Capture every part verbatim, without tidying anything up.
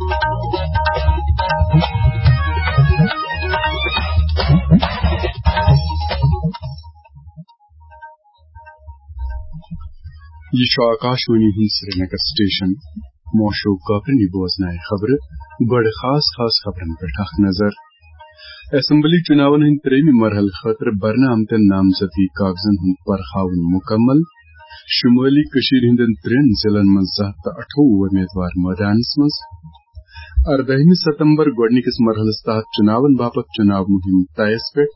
یہِ چھُ آکاشوانی ہُنٛد سرینگر سٹیشن۔ موشو کاپرنی بوزنایہِ خبرٕ۔ گۄڈٕ خاص خاص خبرن پٮ۪ٹھ اکھ نظر۔ اسمبلی چُناون ہٕنٛدِ ترٛیٚیمہِ مرحلہٕ خٲطرٕ برنہٕ آمتٮ۪ن نامزدگی کاغذن ہُنٛد پرخاوُن مُکمل۔ شُمٲلی کٔشیٖرِ ہٕنٛدٮ۪ن ترٛٮ۪ن ضلعن منٛز زٕ ہتھ تہٕ اَٹھووُہ وۄمیدوار مٲدانس منٛز۔ اردٲہمہِ ستمبر گۄڈٕنِکِس مرحلس تحت چُناون باپتھ چُناو مُہِم طیس پٮ۪ٹھ۔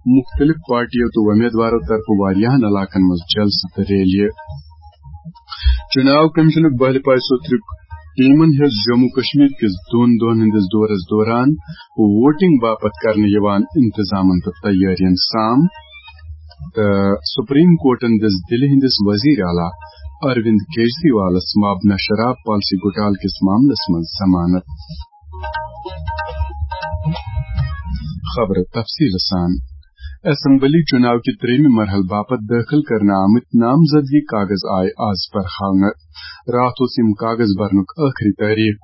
مُختٔلِف پارٹیو تہٕ وۄمیدوارو طرفہٕ واریاہن علاقن منٛز جلسہٕ تہٕ ریلیہِ۔ چُناو کمیشنُک بہلہِ پایہِ سوتھرُک ٹیمن ہیٚژ جموں کشمیر کِس دۄن دۄہن ہٕنٛدِس دورس دوران ووٹنگ باپتھ کرنہٕ یِوان انتظامن تہٕ تیٲرین سام۔ تہٕ سپریم کورٹن دِژ دِلہِ ہٕنٛدِس وزیر اعلیٰ اروند کیجریوالس مابنا شراب پالیسی گھوٹالہٕ کِس معاملس منٛز ضمانت۔ خبرٕ تفصیٖل سان۔ اسمبلی چُناو کہِ ترٛیٚیمہِ مرحلہٕ باپتھ دٲخل کرنہٕ آمٕتۍ نامزدگی کاغذ آیہِ آز پرخاونہٕ۔ راتھ اوس یِم کاغذ برنُک ٲخری تٲریخ۔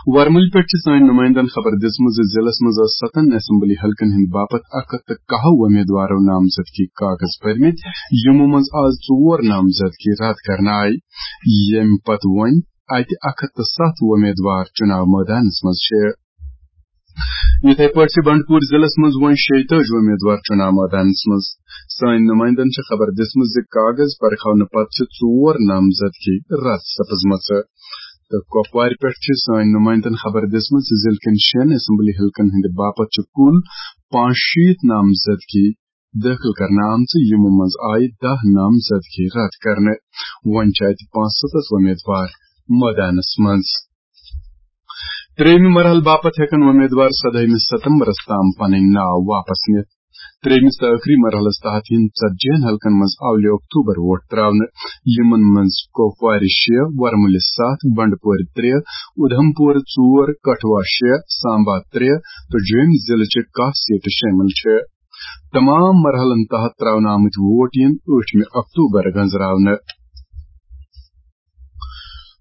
ورمُلہِ پٮ۪ٹھ چھِ سٲنۍ نُمٲیندن خبر دِژمٕژ زِ ضلعس منٛز ٲس ستن اسمبلی حلقن ہٕنٛدِ باپتھ اکھ ہتھ تہٕ کاہ وۄمیدوارو نامزدگی کاغذ بٔرمٕتۍ، یِمو منٛز آز ژور نامزدگی رد کرنہٕ آیہِ، ییٚمہِ پتہٕ وۄنۍ اتہِ اکھ ہتھ تہٕ ستھ وۄمیدوار چُناو مٲدانس منٛز چھِ۔ یِتھے پٲٹھۍ چھِ بنڈپور ضلعس منٛز وۄنۍ شیٚیہِ تٲجی وۄمیدوار چُناو مٲدانس منٛز۔ سٲنۍ نُمٲیندن چھِ خبر دِژمٕژ زِ کاغذ پرکھاونہٕ پتہٕ چھِ ژور نامزدگی رد سپٕزمٕژ۔ تہٕ کۄپوارِ پٮ۪ٹھ چھِ سٲنۍ نُمٲیندن خبر دِژمٕژ زِ ضلعہٕ کٮ۪ن شٮ۪ن اسمبلی حلقن ہٕنٛدِ باپتھ چھِ کُل پانٛژشیٖتھ نامزدگی دٲخل کرنہٕ آمژٕ، یِمو منٛز آیہِ دَہ نامزدگی رد کرنہٕ۔ وۄنۍ چھِ اتہِ پانٛژستتھ وۄمیدوار مٲدانس منٛز۔ ترٛیٚیمہِ مرحلہٕ باپتھ ہٮ۪کن وۄمیدوار سدٲہمہِ ستمبرس تام پنٕنۍ ناو واپس نِتھ۔ ترٛیٚیمِس تہٕ ٲخری مرحلس تحت یِن ژتجی ہن حلقن منٛز اولہِ اکتوبر ووٹ تراونہٕ، یِمن منٛز کۄپوارِ شےٚ، ورمُلہِ ستھ، بنڈپورِ ترٛےٚ، اُدھمپور ژور، کٹھوا شےٚ، سامبا ترٛےٚ تہٕ جوٚمۍ ضلعہٕ چہِ کاہ سیٹہٕ شٲمِل چھِ۔ تمام مرحلن تحت تراونہٕ آمٕتۍ ووٹ یِن ٲٹھمہِ اکتوبر گنزراونہٕ۔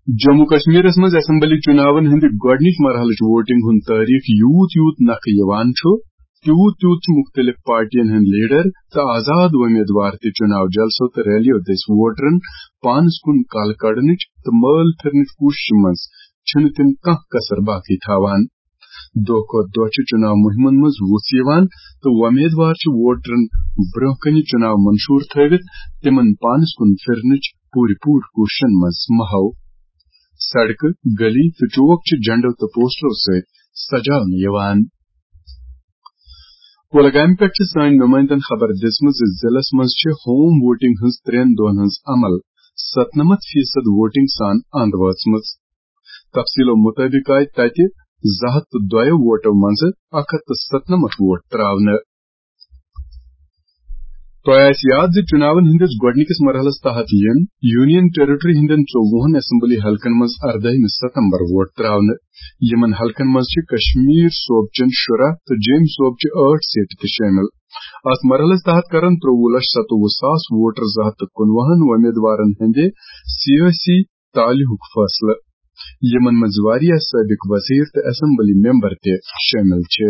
جموں کشمیرس منٛز اسمبلی چُناون ہٕنٛدِ گۄڈٕنِچ مرحلٕچ ووٹنگ ہُنٛد تٲریخ یوٗت یوٗت نکھٕ یِوان چھُ، تیوٗت تیوٗت چھِ مُختٔلِف پارٹین ہٕنٛدۍ لیڈر تہٕ آزاد وۄمیدوار تہِ چُناو جلسو تہٕ ریلیو دٔسۍ ووٹرن پانس کُن کلہٕ کڑنٕچ تہٕ مٲل پھِرنٕچ کوٗششہِ منٛز چھِنہٕ تِم کانٛہہ کسر باقی تھاوان۔ دۄہ کھۄتہٕ دۄہ چھِ چُناو مُہِمن منٛز وُژھ یِوان تہٕ وۄمیدوار چھِ ووٹرن برٛونٛہہ کنہِ چُناو منشور تھٲوِتھ تِمن پانس کُن پھِرنٕچ پوٗرٕ پوٗرٕ کوٗششن منٛز محو۔ سڑکہٕ، گلی تہٕ چوک چھِ جھنڈو تہٕ پوسٹرو سۭتۍ سجاونہٕ یِوان۔ کولگامہِ پٮ۪ٹھ چھِ سٲنۍ نُمٲیندن خبر دِژمٕژ زِ ضلعس منٛز چھِ ہوم ووٹنگ ہٕنٛز ترٛٮ۪ن دۄہن ہٕنٛز عمل ستنمتھ فیصد ووٹنگ سان اند وٲژمٕژ۔ تفصیلو مُطٲبِق آیہِ تَتہِ زٕ ہَتھ تہٕ دۄیو ووٹو منٛزٕ اَکھ ہَتھ تہٕ ستنَمَتھ ووٹ ترٛاونہٕ۔ تۄہہِ آسہِ یاد زِ چُناون ہٕنٛدِس گۄڈٕنِکِس مرحلَس تحت یِن یونین ٹیریٹری ہٕنٛدٮ۪ن ژوٚوُہَن اسمبلی حلقن منٛز اَردٲہمہِ ستمبر ووٹ ترٛاونہٕ۔ یِمَن حلقن منٛز چھِ کشمیر صوبچٮ۪ن شُراہ تہٕ جیٚمۍ صوبچہِ ٲٹھ سیٹہٕ تہِ شٲمِل۔ اَتھ مرحلَس تحت کرن ترٛۆوُہ لچھ ستووُہ ساس ووٹر زٕ ہَتھ تہٕ کُنوُہَن وۄمیدوارن ہٕنٛدِ سیٲسی تالہِ ہُک فٲصلہٕ، یِمن منٛز واریاہ سٲبِق وزیر تہٕ اسمبلی ممبر تہِ شٲمِل چھِ۔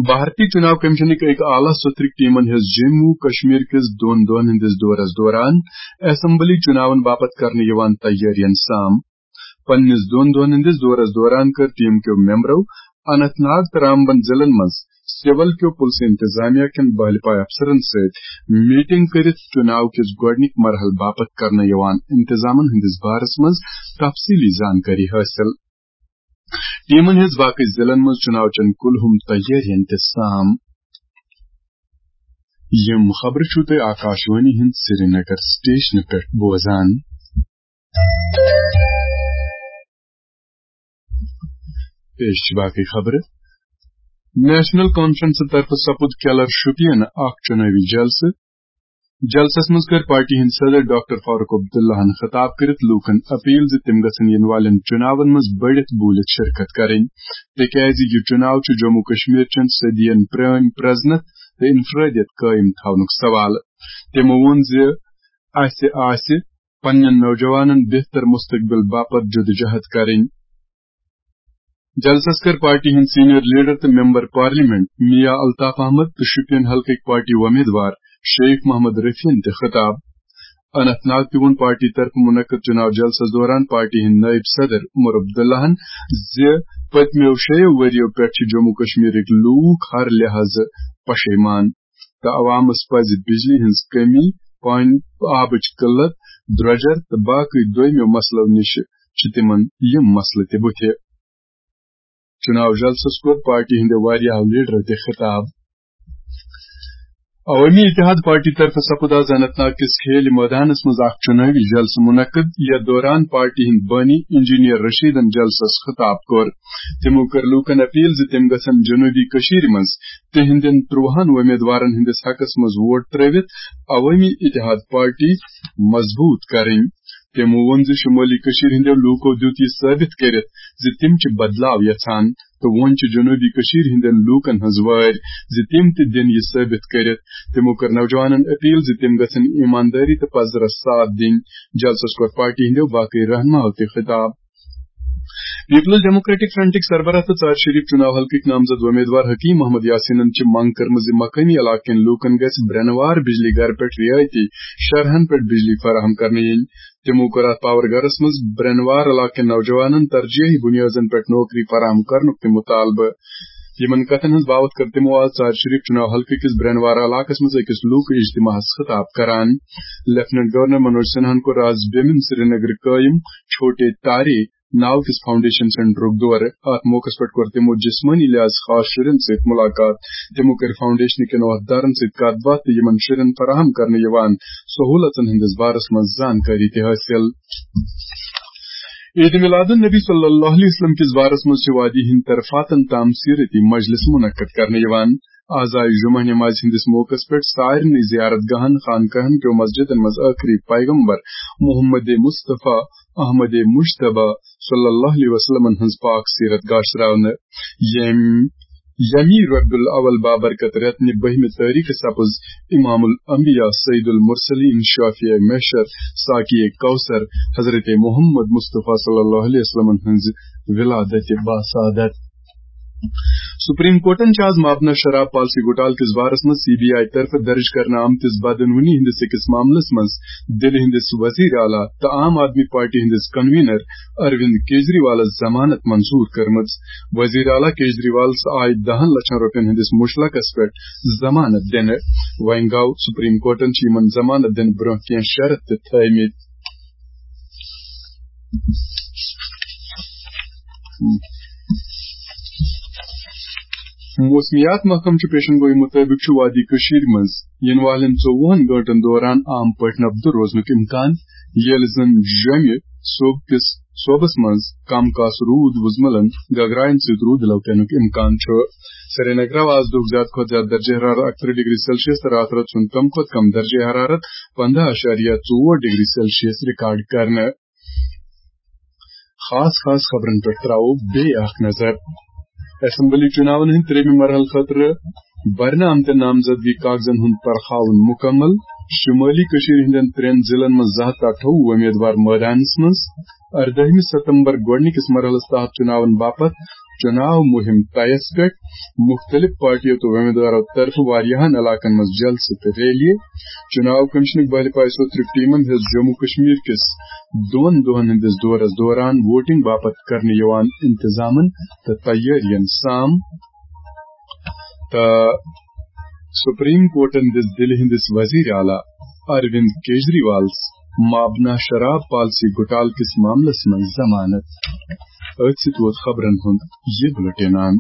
بھارتی چُناو کمیشنٕکۍ أکۍ اعلیٰ سطرٕکۍ ٹیمن ہیٚژ جموں و کشمیر کِس دۄن دۄہن ہٕنٛدِس دورس دوران اسمبلی چُناون باپتھ کرنہٕ یِوان تیٲرین سام۔ پننِس دۄن دۄہن ہٕنٛدِس دورس دوران کٔر ٹیم کیو ممبرو اننت ناگ تہٕ رامبن ضلعن منٛز سول کیو پُلسہٕ انتظامیہ کٮ۪ن بہلہِ پایہِ افسرن سۭتۍ میٹنگ کٔرِتھ چُناو کِس گۄڈٕنِکۍ مرحلہٕ باپتھ کرنہٕ یِوان انتظامن ہٕنٛدِس بارس منٛز تفصیلی زانکٲری حٲصِل۔ ٹیمن ہیٚژ باقٕے ضلعن منٛز چُناو چٮ۪ن کُلہُم تیٲرین تہِ سام۔ یِم خبرٕ چھِو تُہۍ آکاشوانی ہٕنٛدِ سرینگر سٹیشنہٕ پٮ۪ٹھ بوزان۔ پیش چھِ باقٕے خبرٕ۔ نیشنل کانفرنسہٕ طرفہٕ سپُد کیلر شُپین اکھ چُنٲوی جلسہٕ۔ جلسس منٛز کٔر پارٹی ہٕنٛدۍ صدر ڈاکٹر فاروق عبداللہن خطاب کٔرِتھ لوٗکن اپیل زِ تِم گژھن یِنہٕ والٮ۪ن چُناون منٛز بٔڑِتھ بوٗلِتھ شرکت کرٕنۍ، تِکیازِ یہِ چُناو چھُ جموں کشمیر چٮ۪ن صدین پرٲنۍ پرزنت تہٕ انفرادیت قٲیِم تھاونُک سوال۔ تِمو ووٚن زِ اسہِ آسہِ پننٮ۪ن نوجوانن بہتر مستقبل باپتھ جدوجہد کرٕنۍ۔ جلسس کٔر پارٹی ہٕنٛدۍ سینئر لیڈر تہٕ ممبر پارلیمنٹ میا الطاف احمد تہٕ شوپین حلقٕکۍ پارٹی وۄمیدوار شیخ محمد رفیعن تہِ خطاب۔ اننت ناگ تہِ ووٚن پارٹی طرفہٕ منعقد چناو جلسس دوران پارٹی ہٕنٛدۍ نٲیِب صدر عمر عبداللہن زِ پٔتمیو شیٚیو ؤرِیو پٮ۪ٹھ چھِ جموں کشمیرٕکۍ لوٗکھ ہر لحاظہٕ پشیمان تہٕ عوامس پزِ بجلی ہٕنٛز کمی، پانی، آبٕچ قلت، درۄجر تہٕ باقٕے دویمیو مسلو نِش چھِ تِمن یِم مسلہٕ تہِ بُتھِ۔ چناو جلسس کوٚر پارٹی ہٕنٛدیو واریاہو لیڈرو تہِ خطاب۔ عوٲمی اتحاد پارٹی طرفہٕ سپُد آز اننت ناگ کِس کھیل مٲدانس منٛز اکھ چُنٲوی جلسہٕ منعقد، یتھ دوران پارٹی ہٕنٛدۍ بٲنی انجینئر رشیدن جلسس خطاب کوٚر۔ تِمو کٔر لوٗکن اپیل زِ تِم گژھن جنوبی کٔشیٖرِ منٛز تِہنٛدٮ۪ن ترٛوہن وۄمیدوارن ہٕنٛدِس حقس منٛز ووٹ ترٲوِتھ عوٲمی اتحاد پارٹی مضبوٗط کرٕنۍ۔ تِمو ووٚن زِ شمٲلی کٔشیٖرِ ہٕنٛدٮ۪و لوٗکو دیُت یہِ ثٲبت کٔرِتھ زِ تِم چھِ بدلاو یژھان تہٕ وۄنۍ چھِ جنوبی کٔشیٖرِ ہٕنٛدٮ۪ن لوٗکن ہٕنٛز وٲرۍ زِ تِم تہِ دِن یہِ ثٲبت کٔرِتھ۔ تِمو کٔر نوجوانن اپیل زِ تِم گژھن ایماندٲری تہٕ پزرس ساتھ دِنۍ۔ جلسس کوٚر پارٹی ہٕنٛدیو باقٕے رہنماہو تہِ خطاب۔ پیپلز ڈیموکریٹک فرنٹٕکۍ سربراہ تہٕ ژارِ شریف چُناو حلقٕکۍ نامزد وۄمیدوار حکیم محمد یاسینن چھِ منگ کٔرمٕژ زِ مقٲمی علاقہٕ کٮ۪ن لوٗکن گژھِ برٛٮ۪نوار بجلی گرٕ پٮ۪ٹھ رعٲیتی شرحن پٮ۪ٹھ بجلی فراہم کرنہٕ یِنۍ۔ تِمو کوٚر اتھ پاور گرس منٛز برٛٮ۪نوار علاقہٕ کٮ۪ن نوجوانن ترجیحی بُنیادن پٮ۪ٹھ نوکری فراہم کرنُک تہِ مطالبہٕ۔ یِمن کتھن ہٕنٛز باوتھ کٔر تِمو آز ژارِ شریف چُناو حلقہٕ کِس برٛٮ۪نوار علاقس منٛز أکِس لوٗکہٕ اجتماعس خطاب کران۔ لیفٹیننٹ گورنر منوج سنہاہن کوٚر آز بیمِن سرینگر قٲیِم چھوٹے تارے ناو کِس فاؤنڈیشن سینٹرُک دورٕ۔ اتھ موقعس پٮ۪ٹھ کوٚر تِمو جسمٲنی لحاظ خاص شُرٮ۪ن سۭتۍ مُلاقات۔ تِمو کٔر فاؤنڈیشن کٮ۪ن عہدٕدارن سۭتۍ کتھ باتھ تہٕ یِمن شُرٮ۪ن فراہم کرنہٕ یِوان سہوٗلژن ہٕنٛدِس بارس منٛز زانکٲری تہِ حٲصِل۔ عید میلاد النبی صلی اللہ علیہ وسلم کِس بارس منٛز چھِ وادی ہٕنٛدۍ طرفاتن تام سیرتی مجلس منعقد کرنہٕ یِوان۔ آز آیہِ جمعہ نمازِ ہٕنٛدِس موقعس پٮ۪ٹھ سارنٕے زیارت گاہن، خانقاہن کیو مسجدن منٛز ٲخری پیغمبر محمد مصطفیٰ احمد مجتبیٰ صلی اللہ علیہ وسلمن ہٕنٛز پاک سیرت گاشراونہٕ۔ ییٚمۍ، ییٚمی ربیع الاول بابرکت رٮ۪تنہِ بٔہمہِ تٲریخ سپُز امام الانبیاء سید المرسلین شافیع محشر ساقی کوثر حضرت محمد مصطفیٰ صلی اللہ علیہ وسلمن ہٕنٛز ولادت باسعادت۔ سپریم کورٹن چھِ آز مابنا شراب پالیسی گھوٹالہٕ کِس بارس منٛز سی بی آئی طرفہٕ درج کرنہٕ آمتِس بدعنوانی ہٕنٛدِس أکِس معاملس منٛز دِلہِ ہٕنٛدِس وزیر اعلیٰ تہٕ عام آدمی پارٹی ہٕنٛدِس کنوینر اروند کیجریوالس ضمانت منظور کٔرمٕژ۔ وزیر اعلیٰ کیجریوالس آیہِ دَہن لچھن رۄپین ہٕنٛدِس مُشلقس پٮ۪ٹھ ضمانت دِنہٕ۔ وۄنۍ گوٚو، سپریم کورٹن چھِ یِمن ضمانت دِنہٕ برٛونٛہہ کینٛہہ شرط تہِ تھٲومٕتۍ۔ موسمیات محکمہٕ چہِ پیشن گوئی مُطٲبِق چھُ وادی کٔشیٖرِ منٛز یِنہٕ والٮ۪ن ژوٚوُہن گٲنٛٹن دوران عام پٲٹھۍ نبدٕ روزنُک اِمکان، ییٚلہِ زَن جوٚمہِ صوبہٕ کِس، صوبس منٛز کم کاس روٗد وُزملن گگراین سۭتۍ روٗدٕ لو پینُک اِمکان چھُ۔ سرینگرٕ آز دۄہُک زیادٕ کھۄتہٕ زیادٕ درجہ حرارت اَکترٕہ ڈگری سیلسیس تہٕ راتہٕ رٲژ ہُنٛد کم کھۄتہٕ کم درجہ حرارت پندہ اعشاریہ ژور ڈگری سیلسیس ریکارڈ کرنہٕ۔ خاص خاص خبرن پٮ۪ٹھ تراوو بیٚیہِ اکھ نظر۔ اسمبلی چُناون ہٕنٛدِ ترٛیٚیِمہِ مرحلہٕ خٲطرٕ برنہٕ آمتٮ۪ن نامزدگی کاغذن ہُنٛد پرخاوُن مُکمل۔ شُمٲلی کٔشیٖرِ ہٕنٛدٮ۪ن ترٛٮ۪ن ضلعن منٛز زٕ ہتھ تہٕ اَٹھووُہ وۄمیدوار مٲدانس منٛز۔ اردٲہمہِ ستمبر گۄڈٕنِکِس مرحلس تحت چُناون باپتھ چُناو مُہِم طیس پٮ۪ٹھ۔ مُختٔلِف پارٹیو تہٕ وۄمیدوارو طرفہٕ واریاہن علاقن منٛز جلسہٕ تہٕ ریلیہِ۔ چُناو کمیشنٕکۍ بہلہِ پایہِ صوٚترِکۍ ٹیمن ہیٚژ جموں کشمیر کِس دۄن دۄہن ہٕنٛدِس دورس دوران ووٹنگ باپتھ کرنہٕ یِوان انتظامن تہٕ تیٲرین سام۔ تہٕ سپریم کورٹن دِژ دِلہِ ہٕنٛدِس وزیر اعلیٰ اروند کیجریوالس مابنا شراب پالیسی گھوٹالہٕ کِس معاملس منٛز ضمانت۔ أتھۍ سۭتۍ ووت خبرن ہُنٛد یہِ بُلٹن اند۔